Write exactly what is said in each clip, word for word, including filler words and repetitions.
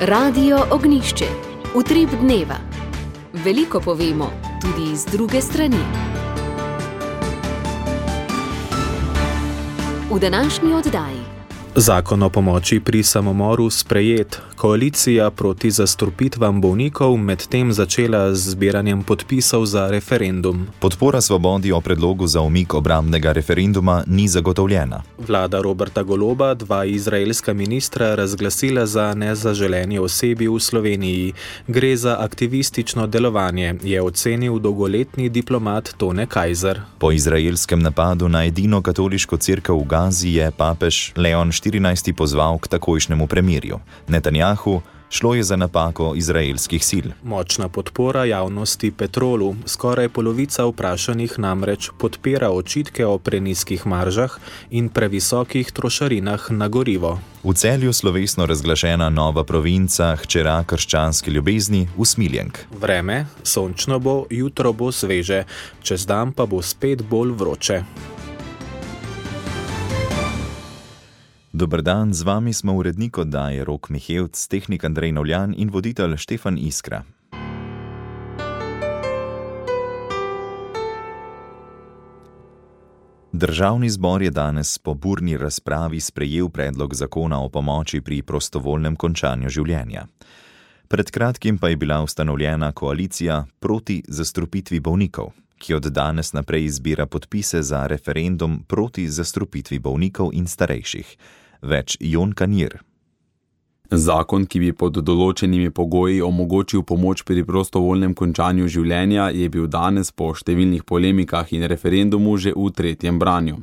Radio Ognjišče. Utrip dneva. Veliko povemo, tudi iz druge strani. V današnji oddaji. Zakon o pomoči pri samomoru sprejet. Koalicija proti zastrupitvam bolnikov medtem začela z zbiranjem podpisov za referendum. Podpora Svobodi o predlogu za umik obrambnega referenduma ni zagotovljena. Vlada Roberta Goloba dva izraelska ministra razglasila za nezaželeni osebi v Sloveniji. Gre za aktivistično delovanje, je ocenil dolgoletni diplomat Tone Kajzer. Po izraelskem napadu na edino katoliško cerkev v Gazi je papež Leon štirinajsti pozval k takojšnjemu premirju. Netanjahu šlo je za napako izraelskih sil. Močna podpora javnosti Petrolu. Skoraj polovica vprašanih namreč podpira očitke o prenizkih maržah in previsokih trošarinah na gorivo. V Celju slovesno razglašena nova provinca, hčera krščanske ljubezni, Usmiljenk. Vreme, sončno bo, jutro bo sveže, čez dan pa bo spet bolj vroče. Dober dan, z vami smo urednik oddaje Rok Mihevc, tehnik Andrej Novljan in voditelj Štefan Iskra. Državni zbor je danes po burni razpravi sprejel predlog zakona o pomoči pri prostovoljnem končanju življenja. Pred kratkim pa je bila ustanovljena koalicija proti zastrupitvi bolnikov, ki od danes naprej zbira podpise za referendum proti zastrupitvi bolnikov in starejših. Več Jon Kanir. Zakon, ki bi pod določenimi pogoji omogočil pomoč pri prostovoljnem končanju življenja, je bil danes po številnih polemikah in referendumu že v tretjem branju.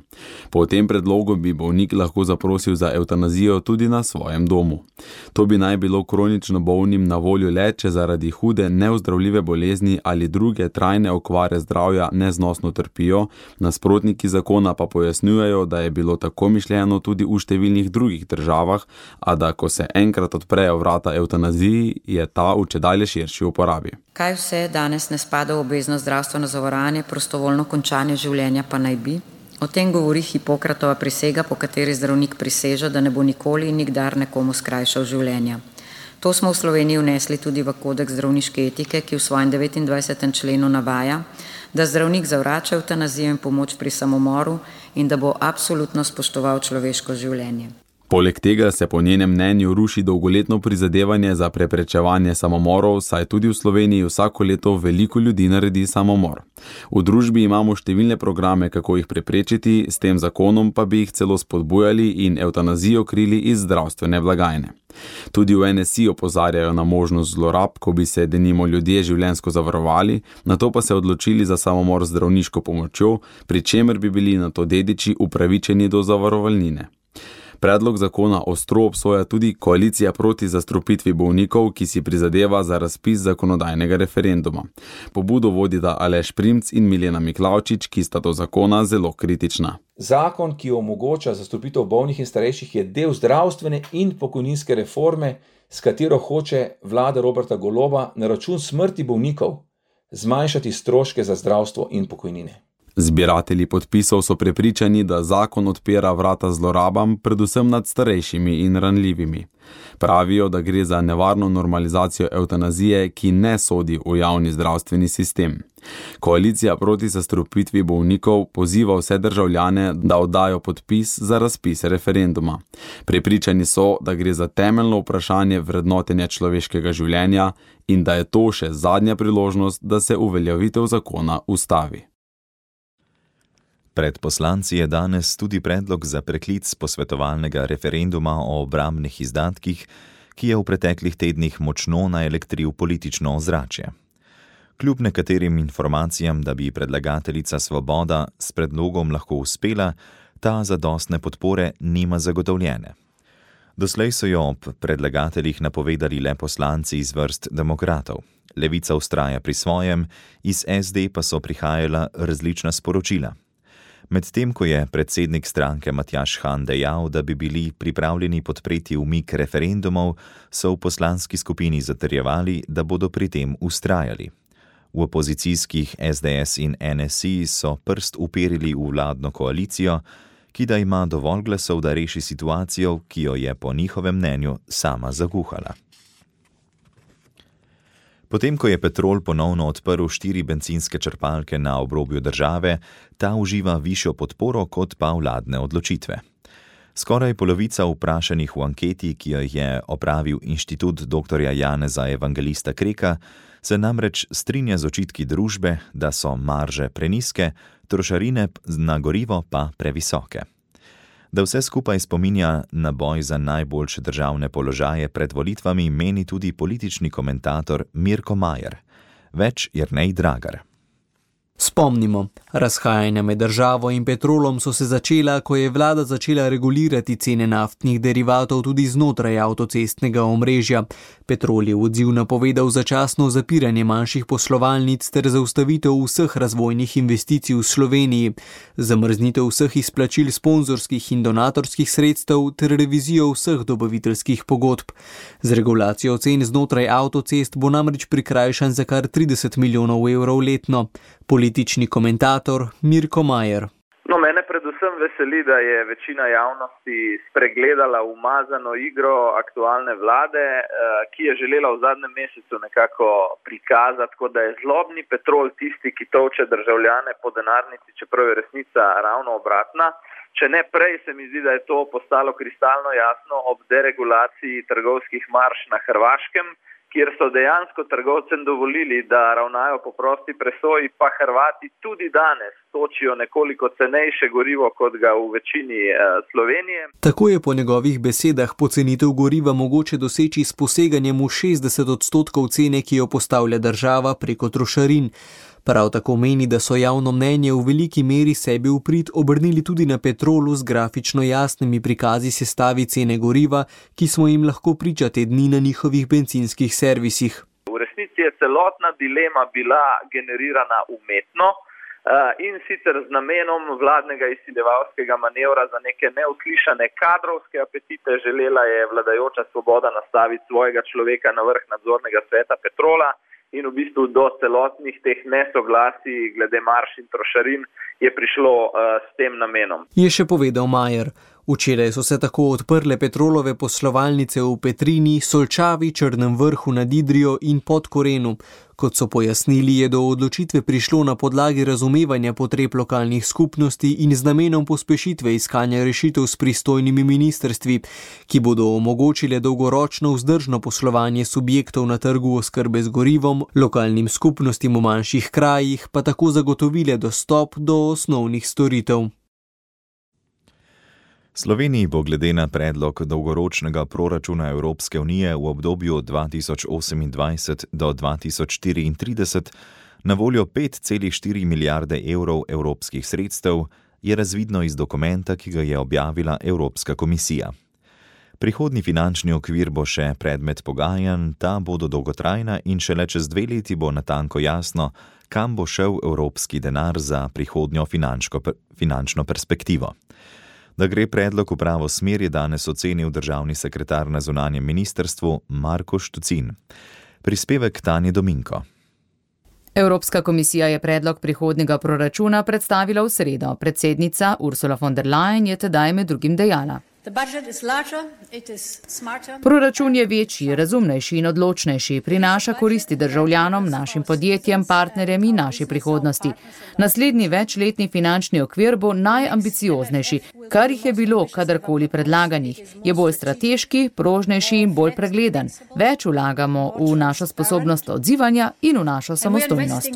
Po tem predlogu bi bolnik lahko zaprosil za evtanazijo tudi na svojem domu. To bi naj bilo kronično bolnim na voljo le, če zaradi hude neozdravljive bolezni ali druge trajne okvare zdravja neznosno trpijo, nasprotniki zakona pa pojasnjujejo, da je bilo tako mišljeno tudi v številnih drugih državah, a da ko se en enkrat odprejo vrata evtanaziji, je ta v čedalje širši uporabi. Kaj vse danes ne spada v obvezno zdravstveno zavarovanje, prostovoljno končanje življenja pa naj bi? O tem govori Hipokratova prisega, po kateri zdravnik priseže, da ne bo nikoli in nikdar nekomu skrajšal življenja. To smo v Sloveniji vnesli tudi v kodeks zdravniške etike, ki v svojem devetindvajsetem členu navaja, da zdravnik zavrača evtanazijo in pomoč pri samomoru in da bo absolutno spoštoval človeško življenje. Poleg tega se po njenem mnenju ruši dolgoletno prizadevanje za preprečevanje samomorov, saj tudi v Sloveniji vsako leto veliko ljudi naredi samomor. V družbi imamo številne programe, kako jih preprečiti, s tem zakonom pa bi jih celo spodbujali in evtanazijo krili iz zdravstvene blagajne. Tudi v N S I opozarjajo na možnost zlorab, ko bi se denimo ljudje življenjsko zavarovali, nato pa se odločili za samomor z zdravniško pomočjo, pri čemer bi bili nato dediči upravičeni do zavarovalnine. Predlog zakona ostro obsoja tudi koalicija proti zastrupitvi bolnikov, ki si prizadeva za razpis zakonodajnega referenduma. Pobudo vodita Aleš Primc in Milena Miklavčič, ki sta do zakona zelo kritična. Zakon, ki omogoča zastrupitev bolnih in starejših, je del zdravstvene in pokojninske reforme, s katero hoče vlada Roberta Goloba na račun smrti bolnikov zmanjšati stroške za zdravstvo in pokojnine. Zbiratelji podpisov so prepričani, da zakon odpira vrata zlorabam, predvsem nad starejšimi in ranljivimi. Pravijo, da gre za nevarno normalizacijo evtanazije, ki ne sodi v javni zdravstveni sistem. Koalicija proti zastrupitvi bolnikov poziva vse državljane, da oddajo podpis za razpis referenduma. Prepričani so, da gre za temeljno vprašanje vrednotenja človeškega življenja in da je to še zadnja priložnost, da se uveljavitev zakona ustavi. Pred poslanci je danes tudi predlog za preklic posvetovalnega referenduma o obrambnih izdatkih, ki je v preteklih tednih močno naelektril politično ozračje. Kljub nekaterim informacijam, da bi predlagateljica Svoboda s predlogom lahko uspela, ta zadostne podpore nima zagotovljene. Doslej so jo ob predlagateljih napovedali le poslanci iz vrst demokratov. Levica vztraja pri svojem, iz S D pa so prihajala različna sporočila. Medtem ko je predsednik stranke Matjaž Han dejal, da bi bili pripravljeni podpreti umik referendumov, so v poslanski skupini zatrjevali, da bodo pri tem vztrajali. V opozicijskih S D S in N S I so prst uperili v vladno koalicijo, ki da ima dovolj glasov, da reši situacijo, ki jo je po njihovem mnenju sama zaguhala. Potem, ko je Petrol ponovno odprl štiri bencinske črpalke na obrobju države, ta uživa višjo podporo kot pa vladne odločitve. Skoraj polovica vprašanih v anketi, ki jo je opravil Inštitut doktorja Janeza Evangelista Kreka, se namreč strinja z očitki družbe, da so marže prenizke, trošarine na gorivo pa previsoke. Da vse skupaj spominja na boj za najboljše državne položaje pred volitvami, meni tudi politični komentator Mirko Majer. Več Jernej Dragar. Spomnimo, razhajanja med državo in Petrolom so se začela, ko je vlada začela regulirati cene naftnih derivatov tudi znotraj avtocestnega omrežja. Petrol je v odziv napovedal začasno zapiranje manjših poslovalnic ter zaustavitev vseh razvojnih investicij v Sloveniji, zamrznitev vseh izplačil sponzorskih in donatorskih sredstev ter revizijo vseh dobaviteljskih pogodb. Z regulacijo cen znotraj avtocest bo namreč prikrajšan za kar trideset milijonov evrov letno. Politični komentator Mirko Majer. No, mene predvsem veseli, da je večina javnosti spregledala umazano igro aktualne vlade, ki je želela v zadnjem mesecu nekako prikazati, kot da je zlobni Petrol tisti, ki tolče državljane po denarnici, čeprav je resnica ravno obratna. Če ne prej, se mi zdi, da je to postalo kristalno jasno ob deregulaciji trgovskih marž na Hrvaškem, kjer so dejansko trgovcem dovolili, da ravnajo po prosti presoji, pa Hrvati tudi danes točijo nekoliko cenejše gorivo, kot ga v večini eh, Slovenije. Tako je po njegovih besedah pocenitev goriva mogoče doseči s poseganjem v šestdeset odstotkov cene, ki jo postavlja država preko trošarin. Prav tako meni, da so javno mnenje v veliki meri sebi v prid obrnili tudi na Petrolu z grafično jasnimi prikazi sestavi cene goriva, ki smo jim lahko priča te dni na njihovih bencinskih servisih. V resnici je celotna dilema bila generirana umetno in sicer z namenom vladnega izsiljevalskega manevra za neke neuslišane kadrovske apetite. Želela je vladajoča Svoboda nastaviti svojega človeka na vrh nadzornega sveta Petrola. In v bistvu do celotnih teh nesoglasij glede marž in trošarin je prišlo uh, s tem namenom. Je še povedal Majer. Včeraj so se tako odprle Petrolove poslovalnice v Petrini, Solčavi, Črnem Vrhu nad Idrijo in Podkorenu. Kot so pojasnili, je do odločitve prišlo na podlagi razumevanja potreb lokalnih skupnosti in z namenom pospešitve iskanja rešitev s pristojnimi ministrstvi, ki bodo omogočile dolgoročno vzdržno poslovanje subjektov na trgu oskrbe z gorivom, lokalnim skupnostim v manjših krajih pa tako zagotovile dostop do osnovnih storitev. Sloveniji bo glede na predlog dolgoročnega proračuna Evropske unije v obdobju dva tisoč osemindvajset do dva tisoč štiriintrideset na voljo pet celih štiri milijarde evrov evropskih sredstev, je razvidno iz dokumenta, ki ga je objavila Evropska komisija. Prihodnji finančni okvir bo še predmet pogajanj, ta bodo dolgotrajna in šele čez dve leti bo natanko jasno, kam bo šel evropski denar za prihodnjo finančno perspektivo. Da gre predlog v pravo smer, je danes ocenil državni sekretar na zunanjem ministrstvu Marko Štucin. Prispevek Tanje Dominko. Evropska komisija je predlog prihodnjega proračuna predstavila v sredo. Predsednica Ursula von der Leyen je tedaj med drugim dejala: Proračun je večji, razumnejši in odločnejši, prinaša koristi državljanom, našim podjetjem, partnerjem in naši prihodnosti. Naslednji večletni finančni okvir bo najambicioznejši, kar jih je bilo kadarkoli predlaganih. Je bolj strateški, prožnejši in bolj pregleden. Več vlagamo v našo sposobnost odzivanja in v našo samostojnost.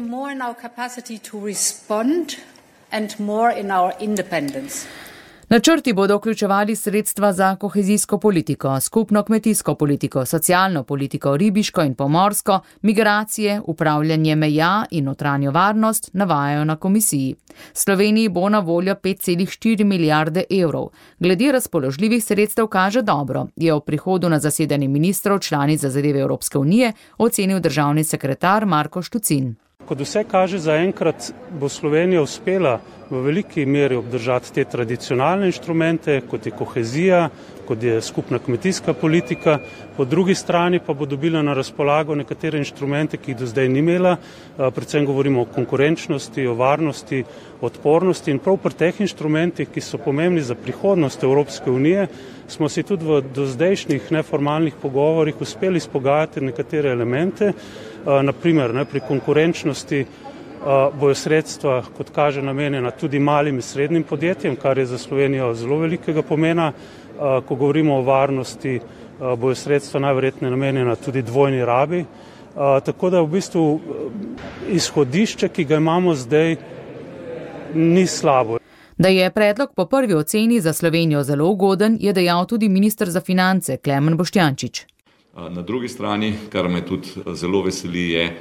Načrti bodo vključevali sredstva za kohezijsko politiko, skupno kmetijsko politiko, socialno politiko, ribiško in pomorsko, migracije, upravljanje meja in notranjo varnost, navajajo na komisiji. Sloveniji bo na voljo pet celih štiri milijarde evrov. Glede razpoložljivih sredstev kaže dobro, je ob prihodu na zasedanje ministrov članic za zadeve Evropske unije ocenil državni sekretar Marko Štucin. Kot vse kaže, zaenkrat bo Slovenija uspela v veliki meri obdržati te tradicionalne inštrumente, kot je kohezija, kot je skupna kmetijska politika, po drugi strani pa bo dobila na razpolago nekatere inštrumente, ki jih do zdaj ni imela, predvsem govorimo o konkurenčnosti, o varnosti, odpornosti in prav pri teh inštrumentih, ki so pomembni za prihodnost Evropske unije, smo si tudi v dozdajšnjih neformalnih pogovorih uspeli izpogajati nekatere elemente, naprimer ne, pri konkurenčnosti bojo sredstva, kot kaže, namenjena tudi malim in srednjim podjetjem, kar je za Slovenijo zelo velikega pomena. Ko govorimo o varnosti, bojo sredstva najverjetneje namenjena tudi dvojni rabi. Tako da v bistvu izhodišče, ki ga imamo zdaj, ni slabo. Da je predlog po prvi oceni za Slovenijo zelo ugoden, je dejal tudi minister za finance Klemen Boštjančič. Na drugi strani, kar me tudi zelo veseli, je,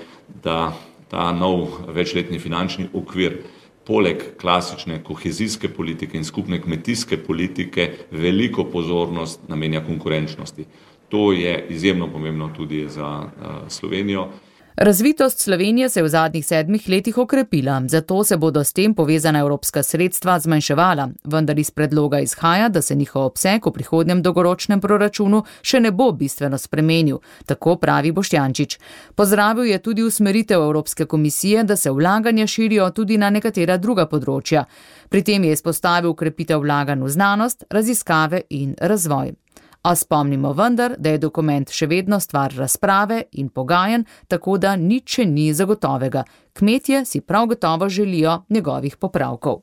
da ta nov večletni finančni okvir poleg klasične kohezijske politike in skupne kmetijske politike veliko pozornost namenja konkurenčnosti. To je izjemno pomembno tudi za Slovenijo. Razvitost Slovenije se je v zadnjih sedmih letih okrepila, zato se bodo s tem povezana evropska sredstva zmanjševala, vendar iz predloga izhaja, da se njihov obseg v prihodnjem dolgoročnem proračunu še ne bo bistveno spremenil, tako pravi Boštjančič. Pozdravil je tudi usmeritev Evropske komisije, da se vlaganja širijo tudi na nekatera druga področja. Pri tem je izpostavil ukrepitev vlaganj v znanost, raziskave in razvoj. A spomnimo vendar, da je dokument še vedno stvar razprave in pogajanj, tako da nič še ni zagotovega. Kmetje si prav gotovo želijo njegovih popravkov.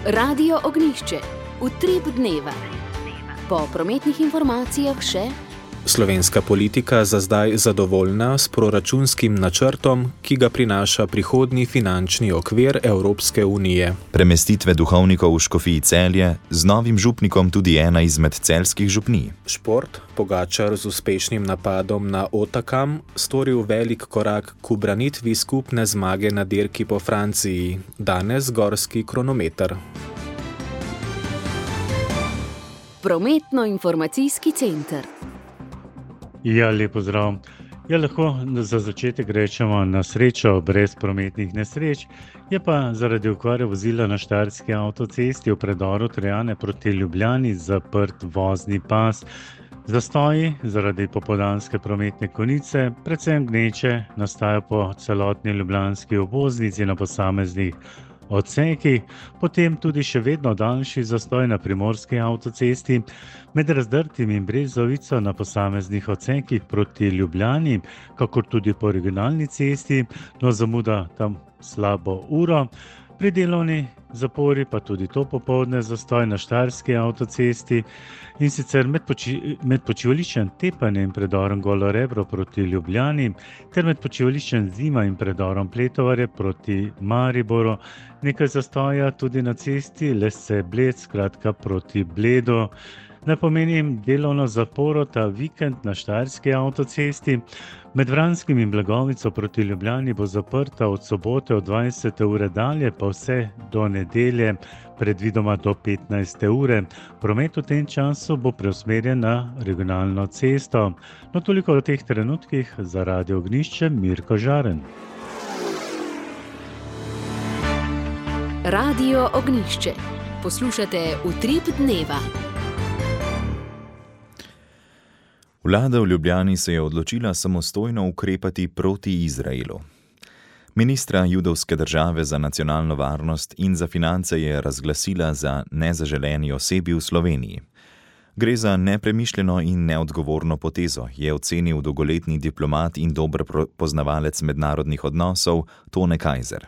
Radio Ognjišče. Utrip dneva. Po prometnih informacijah še... Slovenska politika za zdaj zadovoljna s proračunskim načrtom, ki ga prinaša prihodnji finančni okvir Evropske unije. Premestitve duhovnikov v Škofiji Celje, z novim župnikom tudi ena izmed celjskih župnij. Šport, Pogačar z uspešnim napadom na Otakam, storil velik korak k ubranitvi skupne zmage na dirki po Franciji, danes gorski kronometer. Prometno-informacijski center. Ja, lepo zdrav. Ja, lahko za začetek rečemo na srečo brez prometnih nesreč, je pa zaradi okvare vozila na Štajerski avtocesti v predoru Trojane proti Ljubljani zaprt vozni pas. Zastoji zaradi popoldanske prometne konice, predvsem gneče, nastajajo po celotni ljubljanski obvoznici na posameznih odsekih, potem tudi še vedno daljši zastoj na primorski avtocesti, med Razdrtim in Brezovico na posameznih odsekih proti Ljubljani, kakor tudi po regionalni cesti, no zamuda tam slabo uro. Pri delovni zapori pa tudi to popoldne zastoj na Štajerski avtocesti in sicer med, poči, med počivališčem Tepanje in predorom Golo Rebro proti Ljubljani ter med počivališčem Zima in predorom Pletovarje proti Mariboru. Nekaj zastoja tudi na cesti Lesce Bled, skratka proti Bledu. Naj pomenim delovno zaporo ta vikend na Štajerski avtocesti. Med Vranskim in Blagovico proti Ljubljani bo zaprta od sobote od dvajsete ure dalje, pa vse do nedelje, predvidoma do petnajste ure. Promet v tem času bo preusmerjen na regionalno cesto. No, toliko o teh trenutkih. Za Radio Ognjišče, Mirko Žaren. Radio Ognjišče. Poslušate Utrip dneva. Vlada v Ljubljani se je odločila samostojno ukrepati proti Izraelu. Ministra judovske države za nacionalno varnost in za finance je razglasila za nezaželeni osebi v Sloveniji. Gre za nepremišljeno in neodgovorno potezo, je ocenil dolgoletni diplomat in dober poznavalec mednarodnih odnosov Tone Kajzer.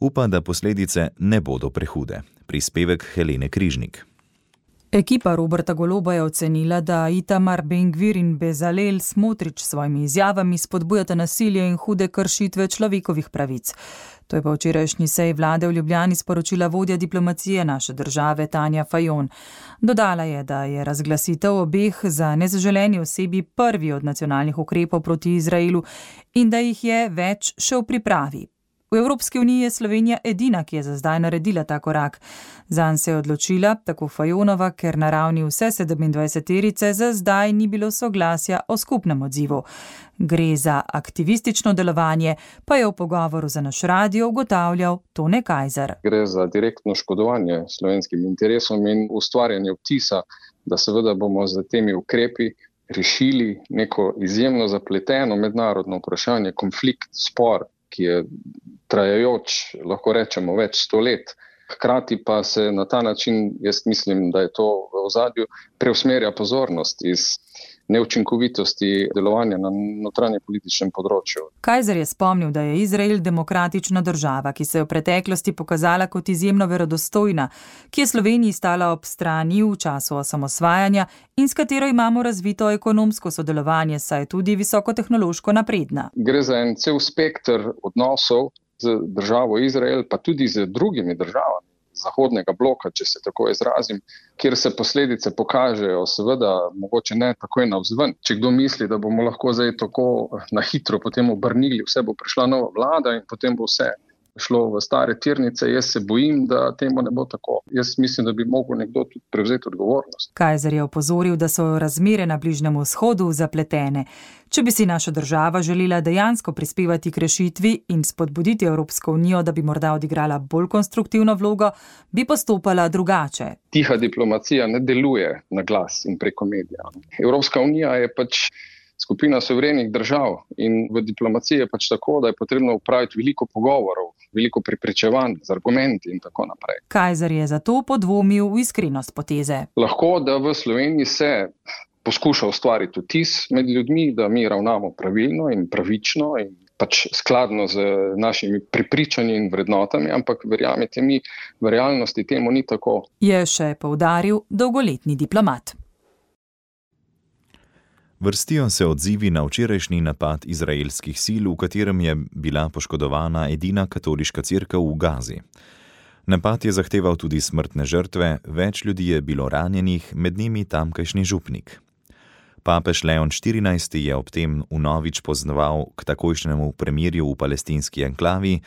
Upa, da posledice ne bodo prehude. Prispevek Helene Križnik. Ekipa Roberta Goloba je ocenila, da Itamar Ben-Gvir in Bezalel Smotrič s svojimi izjavami spodbujata nasilje in hude kršitve človekovih pravic. To je pa včerajšnji sej vlade v Ljubljani sporočila vodja diplomacije naše države Tanja Fajon. Dodala je, da je razglasitev obeh za nezaželeni osebi prvi od nacionalnih ukrepov proti Izraelu in da jih je več še v pripravi. V Evropski uniji je Slovenija edina, ki je za zdaj naredila ta korak. Zanj se je odločila, tako Fajonova, ker na ravni vse sedemindvajseterice za zdaj ni bilo soglasja o skupnem odzivu. Gre za aktivistično delovanje, pa je v pogovoru za naš radio ugotavljal Tone Kajzer. Gre za direktno škodovanje slovenskim interesom in ustvarjanje vtisa, da seveda bomo z temi ukrepi rešili neko izjemno zapleteno mednarodno vprašanje, konflikt, spor, ki je trajajoč, lahko rečemo, več sto let. Hkrati pa se na ta način, jaz mislim, da je to v ozadju, preusmerja pozornost iz neučinkovitosti delovanja na notranje političnem področju. Kajzer je spomnil, da je Izrael demokratična država, ki se je v preteklosti pokazala kot izjemno verodostojna, ki je Sloveniji stala ob strani v času osamosvajanja in s katero imamo razvito ekonomsko sodelovanje, saj je tudi visokotehnološko napredna. Gre za en cel spekter odnosov z državo Izrael, pa tudi z drugimi državami zahodnega bloka, če se tako izrazim, kjer se posledice pokažejo, seveda mogoče ne takoj navzven. Če kdo misli, da bomo lahko zdaj tako na hitro potem obrnili, vse bo prišla nova vlada in potem bo vse šlo v stare tirnice, jaz se bojim, da temu ne bo tako. Jaz mislim, da bi mogel nekdo tudi prevzeti odgovornost. Kajzer je opozoril, da so razmere na Bližnjem vzhodu zapletene. Če bi si naša država želela dejansko prispevati k rešitvi in spodbuditi Evropsko unijo, da bi morda odigrala bolj konstruktivno vlogo, bi postopala drugače. Tiha diplomacija ne deluje na glas in preko medija. Evropska unija je pač skupina suverenih držav in v diplomaciji je pač tako, da je potrebno upraviti veliko pogovorov, veliko prepričevanj z argumenti in tako naprej. Kajzer je zato podvomil v iskrenost poteze. Lahko, da v Sloveniji se poskuša ustvariti vtis med ljudmi, da mi ravnamo pravilno in pravično in pač skladno z našimi prepričanji in vrednotami, ampak verjamete mi, v realnosti temu ni tako. Je še poudaril dolgoletni diplomat. Vrstijo se odzivi na včerajšnji napad izraelskih sil, v katerem je bila poškodovana edina katoliška cerkev v Gazi. Napad je zahteval tudi smrtne žrtve, več ljudi je bilo ranjenih, med njimi tamkajšnji župnik. Papež Leon štirinajsti je ob tem vnovič pozval k takojšnjemu premirju v palestinski enklavi,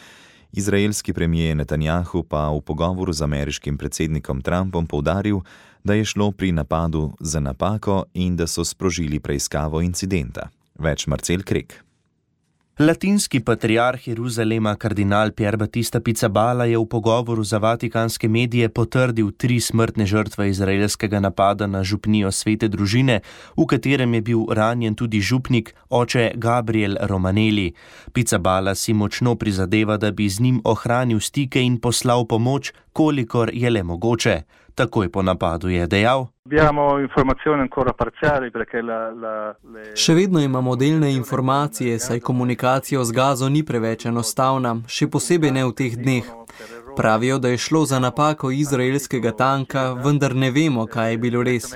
izraelski premijer Netanjahu pa v pogovoru z ameriškim predsednikom Trumpom poudaril, da je šlo pri napadu za napako in da so sprožili preiskavo incidenta. Več Marcel Krek. Latinski patriarh Jeruzalema kardinal Pier Battista Pizzaballa je v pogovoru za vatikanske medije potrdil tri smrtne žrtve izraelskega napada na župnijo Svete družine, v katerem je bil ranjen tudi župnik, oče Gabriel Romanelli. Pizzaballa si močno prizadeva, da bi z njim ohranil stike in poslal pomoč, kolikor je le mogoče. Takoj po napadu je dejal: Še vedno imamo delne informacije, saj komunikacija z Gazo ni preveč enostavna, še posebej ne v teh dneh. Pravijo, da je šlo za napako izraelskega tanka, vendar ne vemo, kaj je bilo res.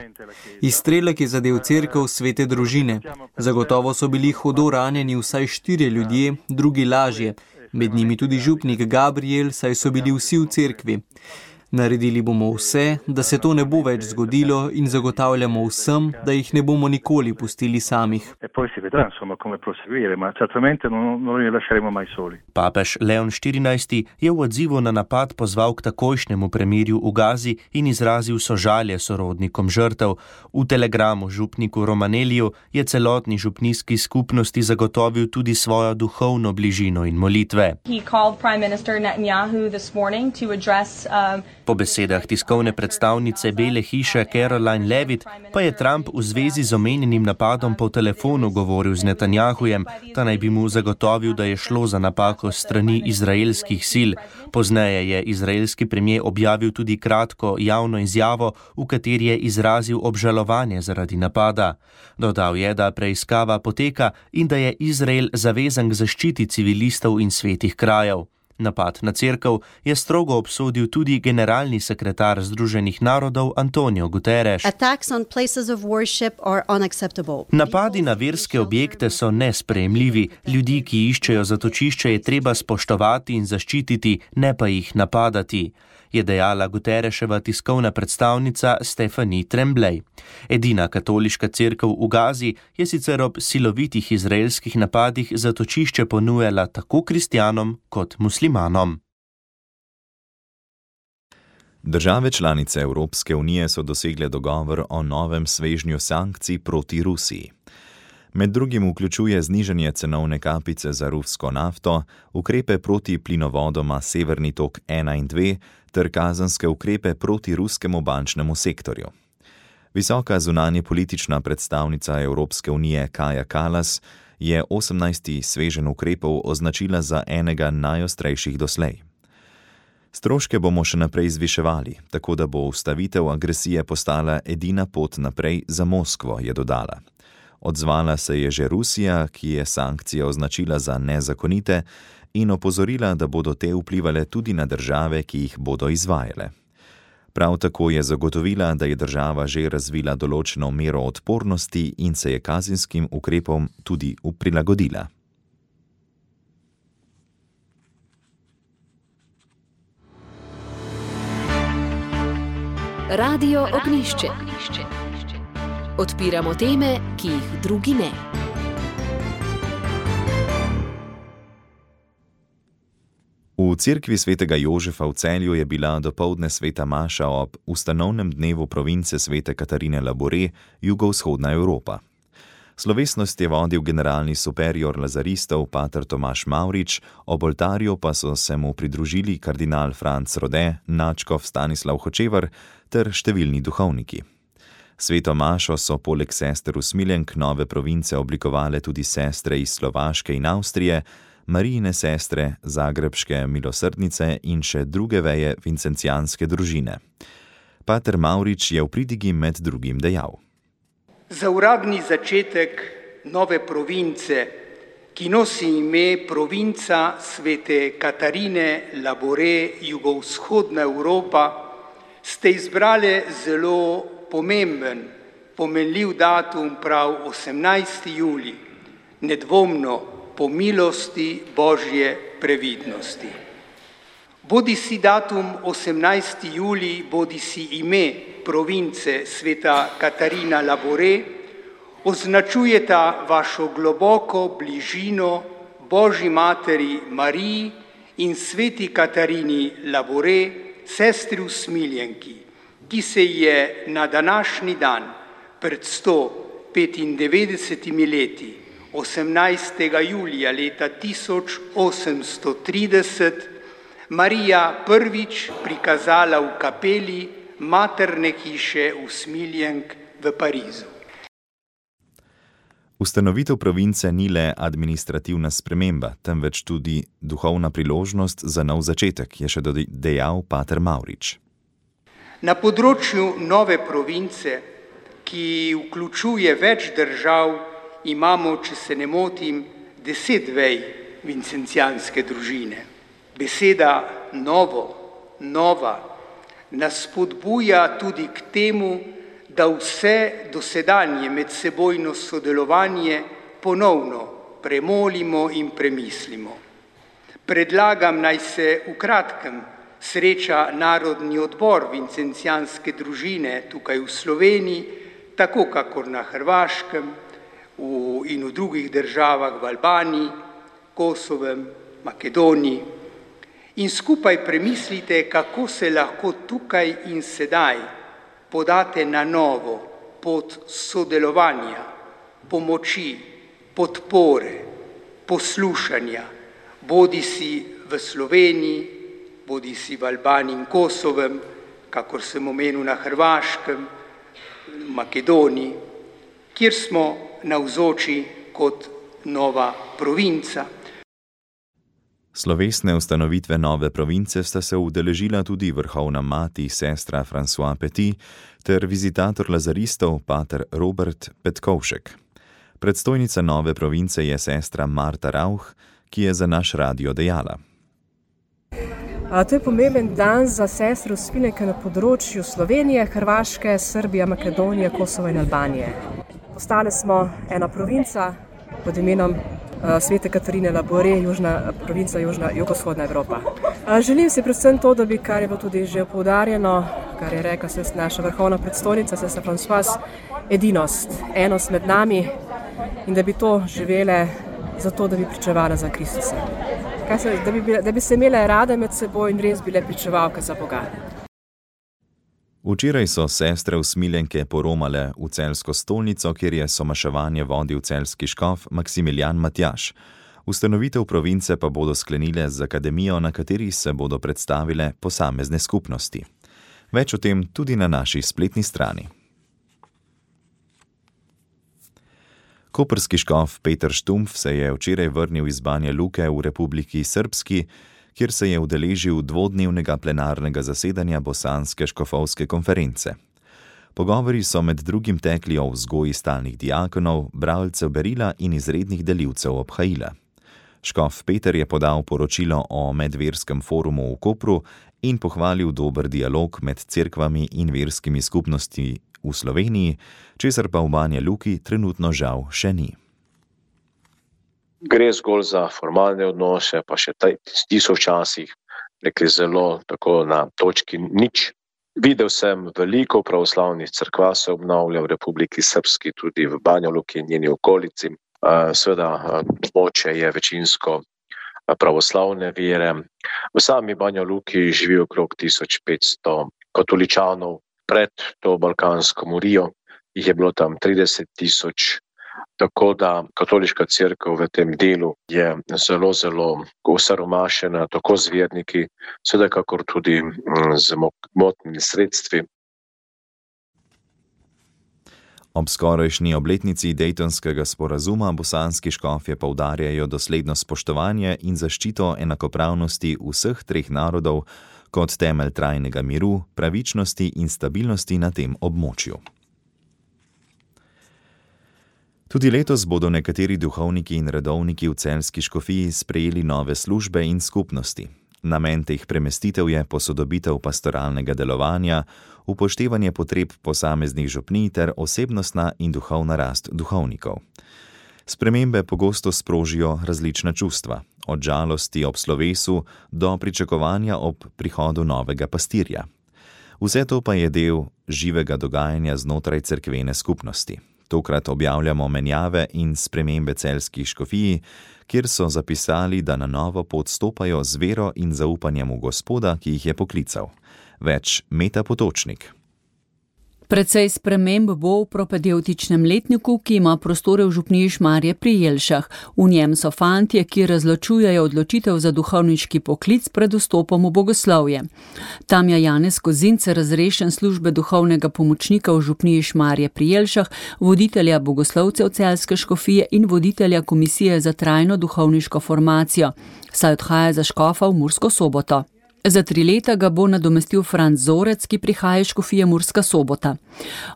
Izstrelek je zadel cerkev Svete družine. Zagotovo so bili hudo ranjeni vsaj štirje ljudje, drugi lažje. Med njimi tudi župnik Gabriel, saj so bili vsi v cerkvi. Naredili bomo vse, da se to ne bo več zgodilo in zagotavljamo vsem, da jih ne bomo nikoli pustili samih. Papež Leon štirinajsti je v odzivu na napad pozval k takojšnjemu premirju v Gazi in izrazil sožalje sorodnikom žrtev. V telegramu župniku Romanelliju je celotni župnijski skupnosti zagotovil tudi svojo duhovno bližino in molitve. Po besedah tiskovne predstavnice Bele hiše Caroline Levitt pa je Trump v zvezi z omenjenim napadom po telefonu govoril z Netanjahujem, ta naj bi mu zagotovil, da je šlo za napako s strani izraelskih sil. Pozneje je izraelski premier objavil tudi kratko javno izjavo, v kateri je izrazil obžalovanje zaradi napada. Dodal je, da preiskava poteka in da je Izrael zavezan k zaščiti civilistov in svetih krajev. Napad na cerkev je strogo obsodil tudi generalni sekretar Združenih narodov Antonio Guterres. Napadi na verske objekte so nesprejemljivi. Ljudi, ki iščejo zatočišče, je treba spoštovati in zaščititi, ne pa jih napadati. je dejala Guterreševa tiskovna predstavnica Stephanie Tremblay. Edina katoliška cerkev v Gazi je sicer ob silovitih izraelskih napadih zatočišče ponujala tako kristjanom kot muslimanom. Države članice Evropske unije so dosegle dogovor o novem svežnju sankcij proti Rusiji. Med drugim vključuje znižanje cenovne kapice za rusko nafto, ukrepe proti plinovodoma Severni tok ena in dve ter kazenske ukrepe proti ruskemu bančnemu sektorju. Visoka zunanje politična predstavnica Evropske unije Kaja Kallas je osemnajsti sveženj ukrepov označila za enega najostrejših doslej. Stroške bomo še naprej zviševali, tako da bo ustavitev agresije postala edina pot naprej za Moskvo, je dodala. Odzvala se je že Rusija, ki je sankcije označila za nezakonite in opozorila, da bodo te vplivale tudi na države, ki jih bodo izvajale. Prav tako je zagotovila, da je država že razvila določeno mero odpornosti in se je kazenskim ukrepom tudi prilagodila. Radio Ognjišče. Odpiramo teme, ki jih drugi ne. V cerkvi svetega Jožefa v Celju je bila dopoldne sveta maša ob ustanovnem dnevu province svete Katarine Labore, jugovzhodna Evropa. Slovesnost je vodil generalni superior lazaristov pater Tomaž Mavrič, ob oltarju pa so se mu pridružili kardinal Franc Rode, nadškof Stanislav Hočevar ter številni duhovniki. Sveto mašo so poleg sester usmiljenk nove province oblikovale tudi sestre iz Slovaške in Avstrije, Marijine sestre, zagrebške milosrdnice in še druge veje vincencijanske družine. Pater Mavrič je v pridigi med drugim dejal. Za uradni začetek nove province, ki nosi ime provinca svete Katarine Labore, jugovzhodna Evropa, ste izbrali zelo pomemben, pomenljiv datum prav osemnajsti julij, nedvomno po milosti Božje previdnosti. Bodi si datum osemnajsti julij, bodi si ime province sveta Katarina Labore, označujeta vašo globoko bližino Božji materi Mariji in sveti Katarini Labore, sestri usmiljenki, ki se je na današnji dan pred sto petindevetdesetimi leti, osemnajstega julija leta tisoč osemsto trideset, Marija prvič prikazala v kapeli materne hiše usmiljenk v Parizu. Ustanovitev province ni le administrativna sprememba, temveč tudi duhovna priložnost za nov začetek, je še dejal pater Mavrič. Na področju nove province, ki vključuje več držav, imamo, če se ne motim, deset vej vincencijanske družine. Beseda novo, nova, nas spodbuja tudi k temu, da vse dosedanje medsebojno sodelovanje ponovno premolimo in premislimo. Predlagam, naj se v kratkem sreča Narodni odbor vincencijanske družine tukaj v Sloveniji, tako kakor na Hrvaškem v, in v drugih državah v Albaniji, Kosovem, Makedoniji. In skupaj premislite, kako se lahko tukaj in sedaj podate na novo pot sodelovanja, pomoči, podpore, poslušanja, bodi si v Sloveniji, bodi si v Albaniji in Kosovem, kakor sem omenil na Hrvaškem, v Makedoniji, kjer smo navzoči kot nova provinca. Slovesne ustanovitve nove province sta se udeležila tudi vrhovna mati sestra François Petit ter vizitator lazaristov pater Robert Petkovšek. Predstojnica nove province je sestra Marta Rauch, ki je za naš radio dejala. A, to je pomemben dan za sestre usmiljenke na področju Slovenije, Hrvaške, Srbije, Makedonije, Kosova in Albanije. Postale smo ena provinca pod imenom Svete Katarine Labore, južna provinca, južna, jugovzhodna Evropa. Želim si predvsem to, da bi, kar je bilo tudi že poudarjeno, kar je rekla se naša vrhovna predstojnica, se Françoise, edinost, enost med nami in da bi to živele zato, da bi pričevala za Kristusa. Se, da, bi bile, da bi se imele rade med seboj in res bile pričevalke za Boga. Včeraj so sestre usmiljenke poromale v celjsko stolnico, kjer je somaševanje vodil celjski škof Maksimilijan Matjaž. Ustanovitev province pa bodo sklenile z akademijo, na kateri se bodo predstavile posamezne skupnosti. Več o tem tudi na naši spletni strani. Koprski škof Peter Štumpf se je včeraj vrnil iz Banja Luke v Republiki Srpski, kjer se je udeležil dvodnevnega plenarnega zasedanja Bosanske škofovske konference. Pogovori so med drugim tekli o vzgoji stalnih diakonov, bralcev berila in izrednih delivcev obhajila. Škof Peter je podal poročilo o medverskem forumu v Kopru in pohvalil dober dialog med cerkvami in verskimi skupnosti v Sloveniji, česar pa v Banja Luki trenutno žal še ni. Gre zgolj za formalne odnose, pa še ti so včasih rekli zelo tako na točki nič. Videl sem veliko pravoslavnih cerkva se obnavlja v Republiki Srpski, tudi v Banja Luki in njeni okolici. Seveda območje je večinsko pravoslavne vere. V sami Banja Luki živi okrog tisoč petsto katoličanov. Pred to balkansko morijo jih je bilo tam trideset tisoč, tako da katoliška cerkev v tem delu je zelo, zelo osiromašena, tako z verniki, seveda kakor tudi z motnimi sredstvi. Ob skorajšnji obletnici Dejtonskega sporazuma bosanski škofje poudarjajo dosledno spoštovanje in zaščito enakopravnosti vseh treh narodov kot temelj trajnega miru, pravičnosti in stabilnosti na tem območju. Tudi letos bodo nekateri duhovniki in redovniki v celjski škofiji sprejeli nove službe in skupnosti. Namen teh premestitev je posodobitev pastoralnega delovanja, upoštevanje potreb posameznih župnij ter osebnostna in duhovna rast duhovnikov. Spremembe pogosto sprožijo različna čustva, od žalosti ob slovesu do pričakovanja ob prihodu novega pastirja. Vse to pa je del živega dogajanja znotraj cerkvene skupnosti. Tokrat objavljamo menjave in spremembe celjskih škofij, kjer so zapisali, da na novo pot stopajo z vero in zaupanjem v Gospoda, ki jih je poklical. Več Meta Potočnik. Precej sprememb bo v propedevtičnem letniku, ki ima prostore v župniji Šmarje pri Jelšah. V njem so fantje, ki razločujejo odločitev za duhovniški poklic pred vstopom v bogoslovje. Tam je Janez Kozince razrešen službe duhovnega pomočnika v župniji Šmarje pri Jelšah, voditelja bogoslovcev celjske škofije in voditelja komisije za trajno duhovniško formacijo, saj odhaja za škofa v Mursko Soboto. Za tri leta ga bo nadomestil Franc Zorec, ki prihaja iz škofije Murska Sobota.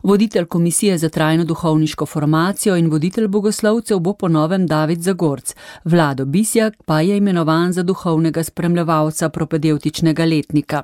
Voditelj komisije za trajno duhovniško formacijo in voditelj bogoslovcev bo po novem David Zagorc. Vlado Bisjak pa je imenovan za duhovnega spremljevalca propedevtičnega letnika.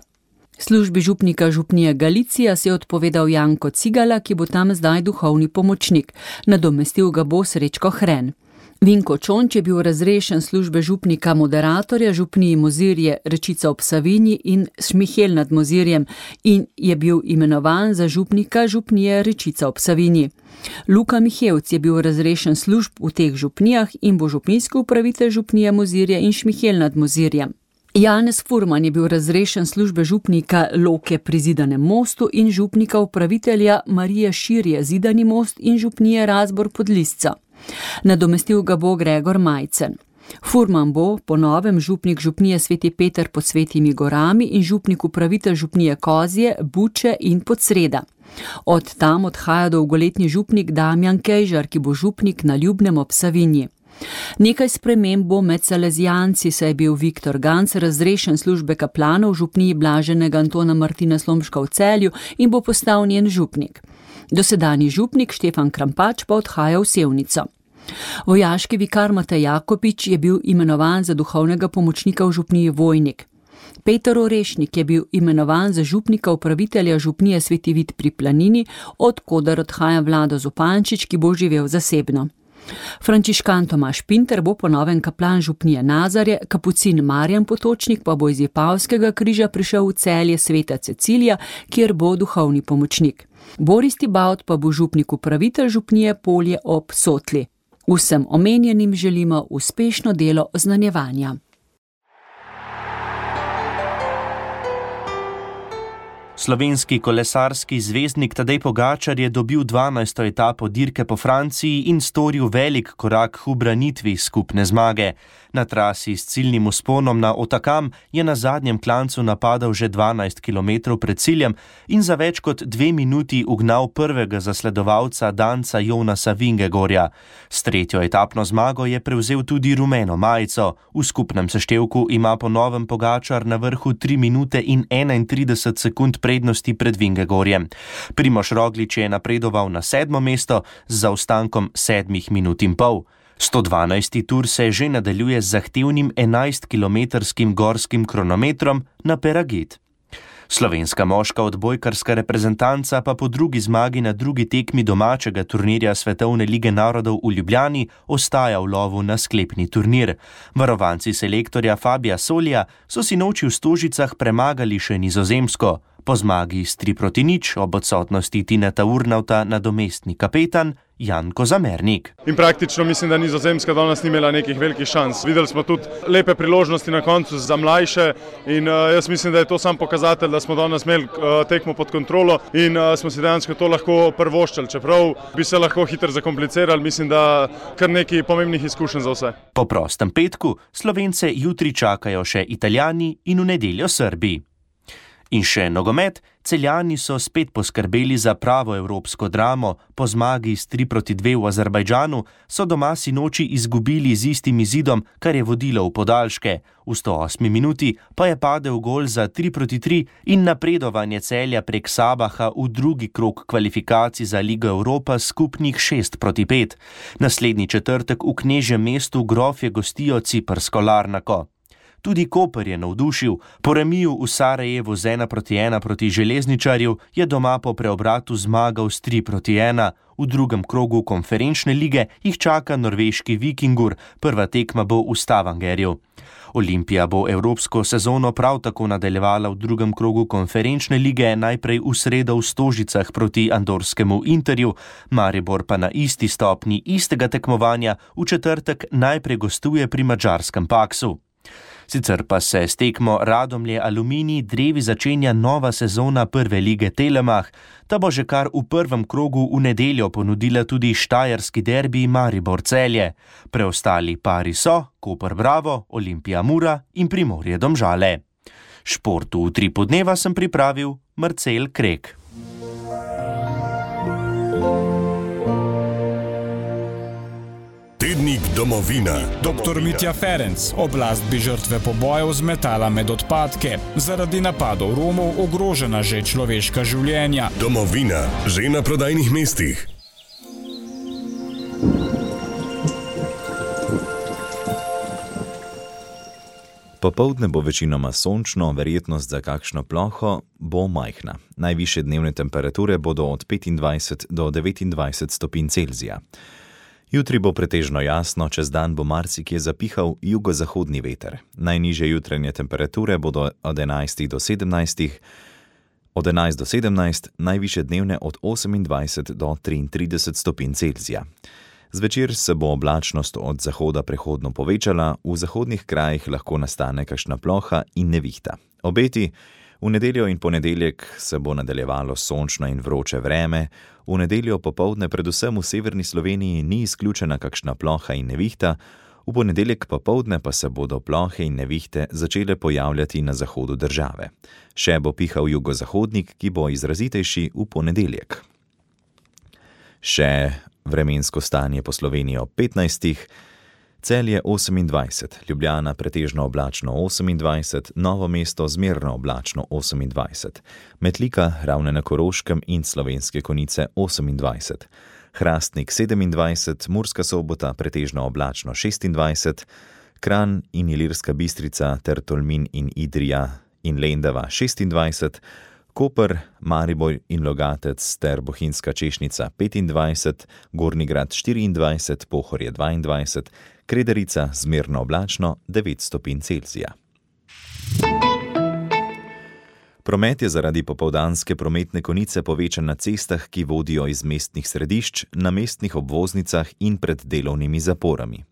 Službi župnika župnije Galicija se je odpovedal Janko Cigala, ki bo tam zdaj duhovni pomočnik. Nadomestil ga bo Srečko Hren. Vinko Čonč je bil razrešen službe župnika moderatorja župniji Mozirje Rečica ob Savinji in Šmihel nad Mozirjem in je bil imenovan za župnika župnije Rečica ob Savinji. Luka Mihevc je bil razrešen služb v teh župnijah in bo župnijski upravitelj župnije Mozirje in Šmihel nad Mozirjem. Janez Furman je bil razrešen službe župnika Loke pri Zidanem mostu in župnika upravitelja Marije Širje Zidani most in župnije Razbor pod Lisco. Nadomestil ga bo Gregor Majcen. Furman bo po novem župnik župnije Sveti Peter pod Svetimi gorami in župnik upravitelj župnije Kozje, Buče in Podsreda. Od tam odhaja dolgoletni župnik Damjan Kejžar, ki bo župnik na Ljubnem ob Savinji. Nekaj sprememb bo med salezijanci, saj je bil Viktor Ganc razrešen službe kaplanov v župniji Blaženega Antona Martina Slomška v Celju in bo postal njen župnik. Dosedanji župnik Štefan Krampač pa odhaja v Sevnico. Vojaški vikar Matej Jakopič je bil imenovan za duhovnega pomočnika v župniji Vojnik. Peter Orešnik je bil imenovan za župnika upravitelja župnije Sveti Vid pri Planini, od koder odhaja Vlado Zupančič, ki bo živel zasebno. Frančiškan Tomaž Pinter bo po novem kaplan župnije Nazarje, kapucin Marjan Potočnik pa bo iz Vipavskega križa prišel v Celje Sveta Cecilija, kjer bo duhovni pomočnik. Boris Tibaut pa bo župnik upravitelj župnije Polje ob Sotli. Vsem omenjenim želimo uspešno delo oznanjevanja. Slovenski kolesarski zvezdnik Tadej Pogačar je dobil dvanajsto etapo dirke po Franciji in storil velik korak k ubranitvi skupne zmage. Na trasi s ciljnim vzponom na Otakam je na zadnjem klancu napadal že dvanajst kilometrov pred ciljem in za več kot dve minuti ugnal prvega zasledovalca Danca Jonasa Vingegorja. S tretjo etapno zmago je prevzel tudi rumeno majico. V skupnem seštevku ima po novem Pogačar na vrhu tri minute in enaintrideset sekund prednosti pred Vingegorjem. Primož Roglič je napredoval na sedmo mesto z zaostankom sedmih minut in pol. sto dvanajsti tur se že nadaljuje z zahtevnim enajstkilometrskim gorskim kronometrom na Peragit. Slovenska moška odbojkarska reprezentanca pa po drugi zmagi na drugi tekmi domačega turnirja Svetovne lige narodov v Ljubljani ostaja v lovu na sklepni turnir. Varovanci selektorja Fabija Solija so si noči v Stožicah premagali še Nizozemsko. Po zmagi s tri proti nič ob odsotnosti Tineta Urnauta nadomestni kapetan Jan Kozamernik. In praktično mislim, da Nizozemska danes ni imela nekih velikih šans. Videli smo tudi lepe priložnosti na koncu za mlajše in uh, jaz mislim, da je to sam pokazatelj, da smo danes imeli uh, tekmo pod kontrolo in uh, smo si dejansko to lahko prvoščali. Čeprav bi se lahko hitro zakomplicirali, mislim, da kar nekaj pomembnih izkušenj za vse. Po prostem petku Slovence jutri čakajo še Italijani in v nedeljo Srbi. In še nogomet, Celjani so spet poskrbeli za pravo evropsko dramo. Po zmagi s tri proti dve v Azerbajdžanu so doma sinoči izgubili z istim izidom, kar je vodilo v podaljške. V sto osmi minuti pa je padel gol za tri proti tri in napredovanje Celja prek Sabaha v drugi krog kvalifikacij za Ligo Evropa skupnih šest proti pet. Naslednji četrtek v knežjem mestu Grofje gostijo ciprsko Larnako. Tudi Koper je navdušil. Po remiju v Sarajevu z ena proti ena proti Železničarju je doma po preobratu zmagal s tri proti ena. V drugem krogu konferenčne lige jih čaka norveški Vikingur, prva tekma bo v Stavangerju. Olimpija bo evropsko sezono prav tako nadaljevala v drugem krogu konferenčne lige, najprej v sredo v Stožicah proti andorskemu Interju, Maribor pa na isti stopni istega tekmovanja v četrtek najprej gostuje pri madžarskem Paksu. Sicer pa se s tekmo Radomlje Aluminij drevi začenja nova sezona prve lige Telemach. Ta bo že kar v prvem krogu v nedeljo ponudila tudi štajerski derbi Maribor Celje. Preostali pari so Koper Bravo, Olimpija Mura in Primorje Domžale. Športu v tri podneva sem pripravil Marcel Krek. Tednik Domovina. doktor Mitja Ferenc. Oblast bi žrtve pobojev zmetala med odpadke. Zaradi napadov Romov ogrožena že človeška življenja. Domovina. Že na prodajnih mestih. Popoldne bo večinoma sončno, verjetnost za kakšno ploho bo majhna. Najvišje dnevne temperature bodo od petindvajset do devetindvajset stopinj Celzija. Jutri bo pretežno jasno, čez dan bo marsikje zapihal jugozahodni veter. Najnižje jutranje temperature bodo od enajst do sedemnajst, od enajst do sedemnajst, najvišje dnevne od osemindvajset do triintrideset stopinj Celzija. Zvečer se bo oblačnost od zahoda prehodno povečala, v zahodnih krajih lahko nastane kakšna ploha in nevihta. Obeti: v nedeljo in ponedeljek se bo nadaljevalo sončno in vroče vreme, v nedeljo popoldne predvsem v severni Sloveniji ni izključena kakšna ploha in nevihta, v ponedeljek popoldne pa se bodo plohe in nevihte začele pojavljati na zahodu države. Še bo pihal jugozahodnik, ki bo izrazitejši v ponedeljek. Še vremensko stanje po Sloveniji ob petnajstih. Celje osemindvajset, Ljubljana pretežno oblačno osemindvajset, Novo mesto zmerno oblačno osemindvajset, Metlika, Ravne na Koroškem in Slovenske Konjice osemindvajset, Hrastnik sedemindvajset, Murska Sobota pretežno oblačno šestindvajset, Kranj in Ilirska Bistrica ter Tolmin in Idrija in Lendava šestindvajset, Koper, Maribor in Logatec ter Bohinjska Češnica petindvajset, Gornji Grad štiriindvajset, Pohorje dvaindvajset, Krederica zmerno oblačno devet stopinj Celzija. Promet je zaradi popoldanske prometne konice povečan na cestah, ki vodijo iz mestnih središč, na mestnih obvoznicah in pred delovnimi zaporami.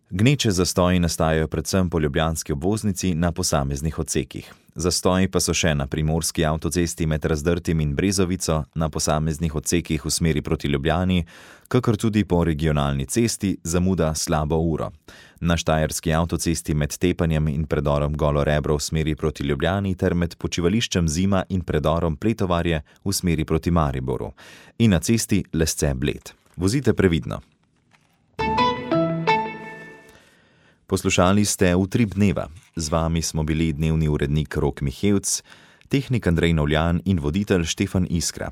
Gneče zastoji nastajajo predvsem po ljubljanski obvoznici na posameznih odsekih. Zastoji pa so še na primorski avtocesti med Razdrtim in Brezovico, na posameznih odsekih v smeri proti Ljubljani, kakor tudi po regionalni cesti zamuda slabo uro. Na štajerski avtocesti med Tepanjem in predorom Golo Rebro v smeri proti Ljubljani ter med počivališčem Zima in predorom Pletovarje v smeri proti Mariboru. In na cesti Lesce-Bled. Vozite previdno. Poslušali ste Utrip dneva. Z vami smo bili dnevni urednik Rok Mihevc, tehnik Andrej Novljan in voditelj Štefan Iskra.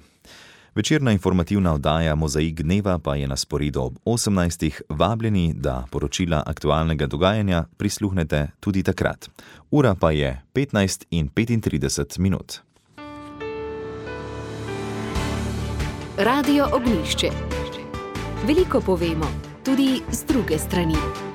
Večerna informativna oddaja Mozaik dneva pa je na sporedu ob osemnajstih. Vabljeni, da poročila aktualnega dogajanja prisluhnete tudi takrat. Ura pa je petnajst in petintrideset minut. Radio Ognjišče. Veliko povemo, tudi z druge strani.